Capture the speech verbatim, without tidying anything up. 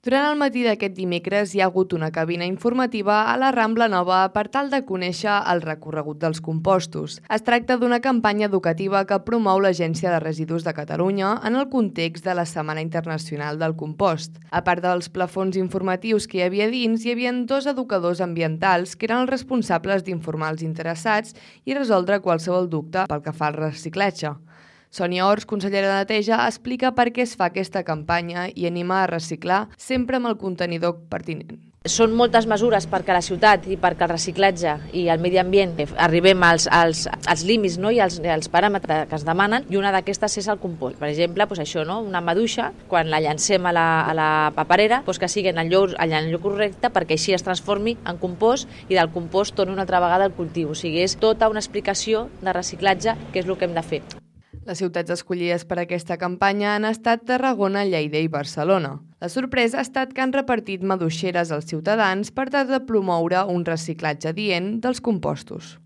Durant el matí d'aquest dimecres hi ha hagut una cabina informativa a la Rambla Nova per tal de conèixer el recorregut dels compostos. Es tracta d'una campanya educativa que promou l'Agència de Residus de Catalunya en el context de la Setmana Internacional del Compost. A part dels plafons informatius que hi havia dins, hi havia dos educadors ambientals que eren els responsables d'informar els interessats i resoldre qualsevol dubte pel que fa al reciclatge. Sònia Ors, consellera de Neteja, explica per què es fa aquesta campanya i anima a reciclar sempre amb el contenidor pertinent. Són moltes mesures perquè la ciutat i perquè el reciclatge i el medi ambient arribem als, als, als límits, no? I als, als paràmetres que es demanen, i una d'aquestes és el compost. Per exemple, doncs això, no? Una maduixa, quan la llancem a la, a la paperera, doncs que sigui en el lloc, en el lloc correcte perquè així es transformi en compost i del compost torni una altra vegada al cultiu. O sigui, és tota una explicació de reciclatge, que és el que hem de fer. Les ciutats escollides per aquesta campanya han estat Tarragona, Lleida i Barcelona. La sorpresa ha estat que han repartit maduixeres als ciutadans per tal de promoure un reciclatge adient dels compostos.